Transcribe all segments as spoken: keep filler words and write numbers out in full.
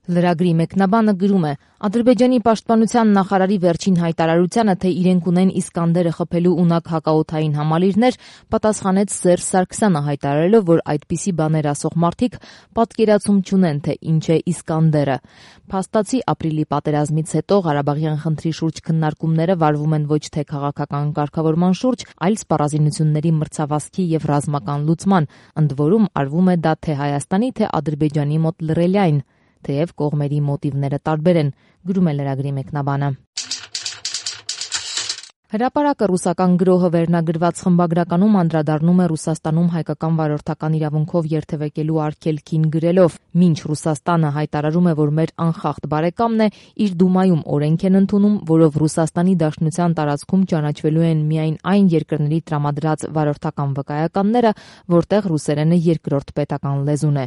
Լրագրի մեկնաբանը գրում է. Ադրբեջանի պաշտպանության նախարարի վերջին հայտարարությանը, թե իրենք ունեն Իսկանդերը խփելու ունակ հակաօդային համալիրներ, պատասխանեց Սերժ Սարգսյանը հայտարարելով, որ այդպիսի բաներ ասող մարդիկ պատկերացում չունեն, թե ինչ է Իսկանդերը։ Փաստացի ապրիլի պատերազմից հետո Ղարաբաղյան խնդրի շուրջ քննարկումները վարվում են ոչ թե քաղաքական կարգավորման շուրջ, այլ սպառազինությունների մրցավազքի եւ ռազմական լուծման, ընդ որում արվում է դա թե Հայաստանի, թե Ադրբեջանի մոտ լրելյայն, թեև կողմերի մոտիվները տարբեր են, գրում է լրագրի մեկնաբանը։ Հրապարակը ռուսական գրոհը վերնագրված խմբագրականում անդրադառնում է Ռուսաստանում հայկական վարորդական իրավունքով երթևեկելու արգելքին գրելով. Մինչ Ռուսաստանը հայտարարում է, որ մեր անխախտ բարեկամն է, իր Դումայում օրենք են ընդունում, որով Ռուսաստանի Դաշնության տարածքում ճանաչվելու են միայն այն երկրների տրամադրած վարորդական վկայականները, որտեղ ռուսերենը երկրորդ պետական լեզուն է։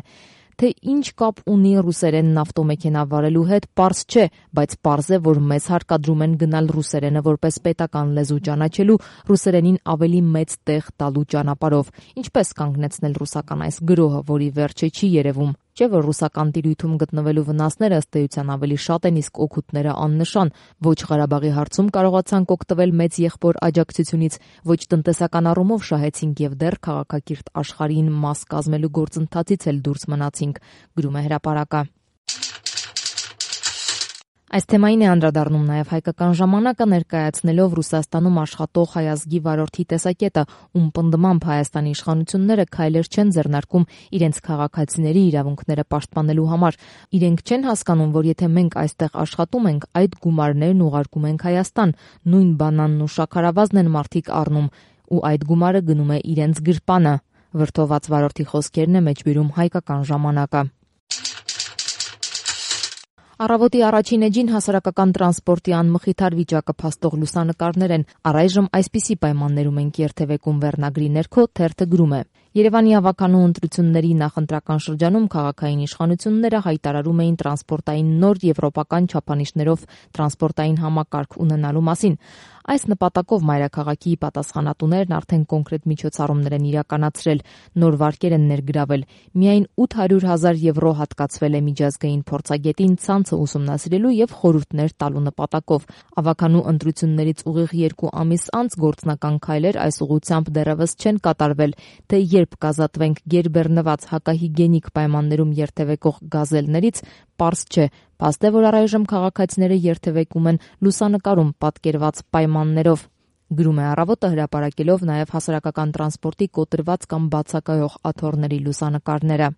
Թե ինչ կապ ունի ռուսերենն ավտոմեքենա վարելու հետ, պարզ չէ, բայց պարզ է, որ մեզ հարկադրում են գնալ ռուսերենը որպես պետական լեզու ճանաչելու, ռուսերենին ավելի մեծ տեղ տալու ճանապարհով։ Ինչպես կանգնեցնել ռուսական այս գրոհը, որի վերջը չի երևում։ Չէ՞ որ ռուսական տիրույթում գտնվելու վնասները ըստ էության ավելի շատ են, իսկ օգուտները աննշան։ Ոչ Ղարաբաղի հարցում կարողացանք օգտվել մեծ եղբոր աջակցությունից, ոչ տնտեսական առումով շահեցինք եւ դեռ քաղաքակիրթ աշխարհին մաս կազմելու գործընթացից էլ դուրս մնացինք, գրում է հրապարակը։ Այս թեմային է անդրադառնում նաև Հայկական ժամանակը, ներկայացնելով Ռուսաստանում աշխատող հայ ազգի վարորդի տեսակետը, ում պնդմամբ Հայաստանի իշխանությունները քայլեր չեն ձեռնարկում իրենց քաղաքացիների իրավունքները պաշտպանելու համար։ Իրենք չեն հասկանում, որ եթե մենք այստեղ աշխատում ենք, այդ գումարներն ուղարկում ենք Հայաստան, նույն բանանն ու շաքարավազն են մարդիկ առնում, ու այդ գումարը գնում է իրենց գրպանը։ Վրդոված վարորդի խոսքերն է մեջբերում Հայկական ժամանակը։ Առավոտի առաջին էջին հասարակական տրանսպորտի անմխիթար վիճակը փաստող լուսանկարներ են։ Առայժմ այսպիսի պայմաններում ենք երթևեկում վերնագրի ներքո թերթը գրում է. Երևանի ավականու ընտրությունների նախընտրական շրջանում քաղաքային իշխանությունները հայտարարում էին տրանսպորտային նոր եվրոպական չափանիշներով տրանսպորտային համակարգ ունենալու մասին։ Այս նպատակով մայրաքաղաքի պատասխանատուներն արդեն կոնկրետ միջոցառումներ են իրականացրել, նոր վարկեր են ներգրավել։ Միայն ութ հարյուր հազար եվրո հատկացվել է միջազգային փորձագետին ցանցը ուսումնասիրելու եւ խորհուրդներ տալու նպատակով։ Ավականու ընտրություններից ուղիղ երկու ամիս անց գործնական քայլեր այս ուղղությամբ դեռևս չեն կատարվել, թե երբ կազատվենք գերբեռնված հակահիգիենիկ պայմաններում երթևեկող գազելներից, պարզ չէ։ Փաստ է, որ առայժմ քաղաքացիները երթևեկում են լուսանկարում պատկերված պայմաններով, գրում է Առավոտը, հրապարակելով նաև հասարակական տրանսպորտի կոտրված կամ բացակայող աթոռների լուսանկարները։